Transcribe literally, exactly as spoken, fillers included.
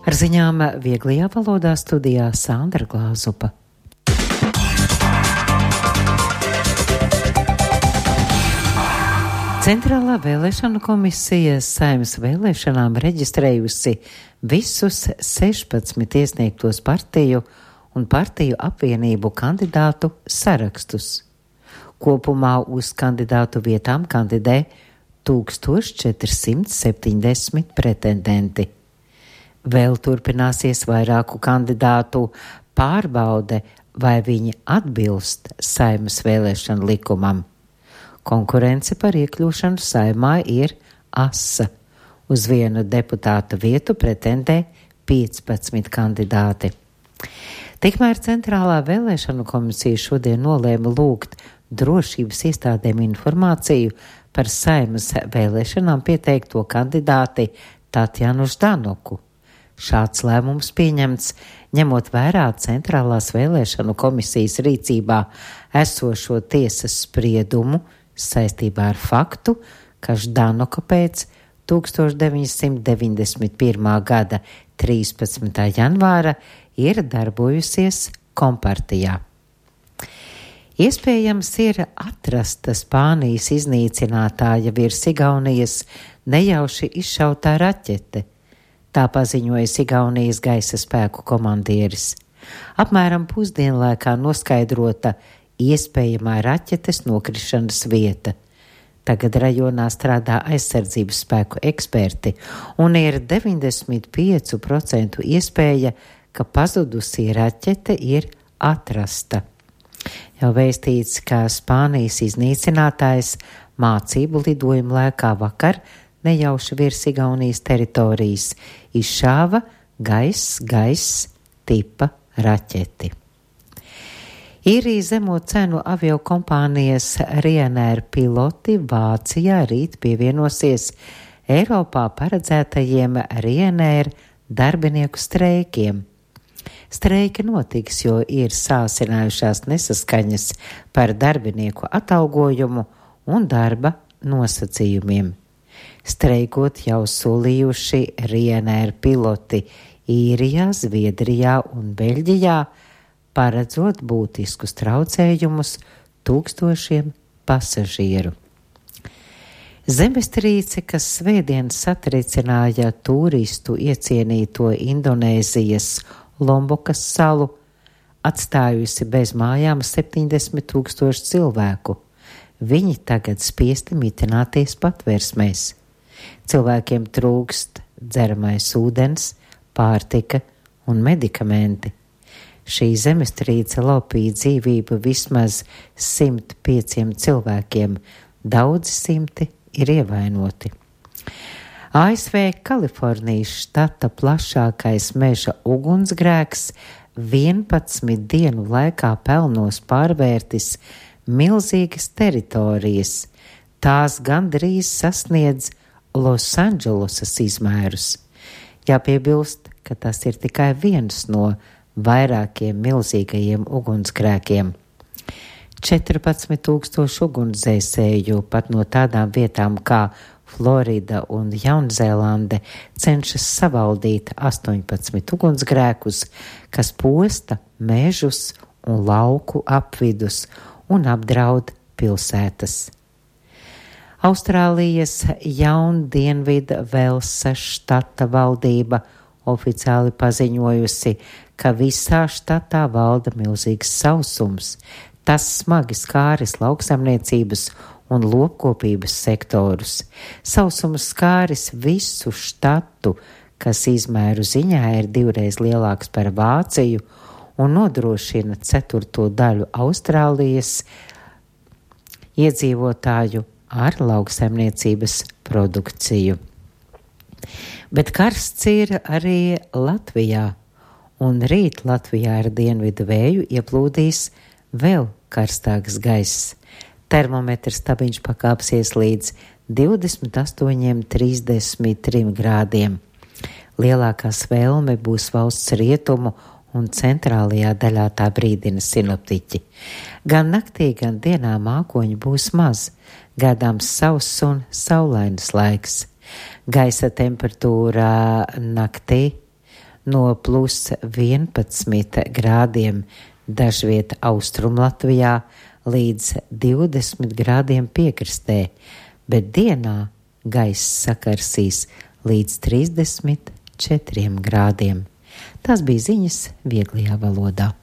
Ar ziņām vieglajā valodā studijā Sandra Glāzupa. Centrālā vēlēšanu komisija Saeimas vēlēšanām reģistrējusi visus sešpadsmit iesniegtos partiju un partiju apvienību kandidātu sarakstus. Kopumā uz kandidātu vietām kandidē tūkstoš četri simti septiņdesmit pretendenti. Vēl turpināsies vairāku kandidātu pārbaude, vai viņi atbilst Saeimas vēlēšanu likumam. Konkurence par iekļūšanu Saeimā ir asa. Uz vienu deputāta vietu pretendē piecpadsmit kandidāti. Tikmēr Centrālā vēlēšanu komisija šodien nolēma lūgt drošības iestādēm informāciju par Saeimas vēlēšanām pieteikto kandidāti Tatjanu Ždanoku. Šāds lēmums pieņemts, ņemot vērā Centrālās vēlēšanu komisijas rīcībā esošo tiesas spriedumu saistībā ar faktu, ka Ždanoka pēc tūkstoš deviņi simti deviņdesmit pirmā gada trīspadsmitā janvāra ir darbojusies kompartijā. Iespējams ir atrasta Spānijas iznīcinātāja virs Igaunijas nejauši izšautā raķete. Tā paziņoja Igaunijas gaisa spēku komandieris. Apmēram pusdienlaikā noskaidrota iespējamā raķetes nokrišanas vieta. Tagad rajonā strādā aizsardzības spēku eksperti un ir deviņdesmit pieci procenti iespēja, ka pazudusī raķete ir atrasta. Jau vēstīts, ka Spānijas iznīcinātājs mācību lidojuma laikā vakar nejauši virs Igaunijas teritorijas izšāva gaiss gaiss tipa raķeti. Īrija zemo cenu aviokompānijas Ryanair piloti Vācijā rīt pievienosies Eiropā paredzētajiem Ryanair darbinieku streikiem. Streiki notiks, jo ir sāsinājušās nesaskaņas par darbinieku atalgojumu un darba nosacījumiem. Streikot jau solījuši Ryanair piloti Īrijā, Zviedrijā un Beļģijā, paredzot būtiskus traucējumus tūkstošiem pasažieru. Zemestrīce, kas svētdien satricināja turistu iecienīto Indonēzijas Lombokas salu, atstājusi bez mājām septiņdesmit tūkstoši cilvēku. Viņi tagad spiesti mitināties patversmēs. Cilvēkiem trūkst dzeramais ūdens, pārtika un medikamenti. Šī zemestrīce laupīja dzīvību vismaz simt pieciem cilvēkiem, daudzi simti ir ievainoti. A S V Kalifornijas štata plašākais meža ugunsgrēks vienpadsmit dienu laikā pelnos pārvērtis milzīgas teritorijas. Tās gandrīz sasniedz Losandželosas izmērus. Jāpiebilst, ka tas ir tikai viens no vairākiem milzīgajiem ugunsgrēkiem. četrpadsmit tūkstoši ugunsdzēsēju pat no tādām vietām kā Florida un Jaunzēlande cenšas savaldīt astoņpadsmit ugunsgrēkus, kas posta mežus un lauku apvidus un apdraud pilsētas. Austrālijas Jaundienvida Velsas štata valdība oficiāli paziņojusi, ka visā štatā valda milzīgs sausums. Tas smagi skāris lauksaimniecības un lopkopības sektorus. Sausums skāris visu štatu, kas izmēru ziņā ir divreiz lielāks par Vāciju un nodrošina ceturto daļu Austrālijas iedzīvotāju ar lauksaimniecības produkciju. Bet karsts ir arī Latvijā, un rīt Latvijā ar dienvidu vēju ieplūdīs vēl karstāks gaiss. Termometrs stabiņš pakāpsies līdz divdesmit astoņiem trīsdesmit trim grādiem. Lielākā svelme būs valsts rietumu un centrālajā daļā, tā brīdina sinoptiķi. Gan naktī, gan dienā mākoņu būs maz, gaidāms sauss un saulains laiks. Gaisa temperatūra naktī no plus vienpadsmit grādiem dažviet Austrum Latvijā līdz divdesmit grādiem piekrastē, bet dienā gaiss sakarsīs līdz trīsdesmit četriem grādiem. Tās bija ziņas vieglajā valodā.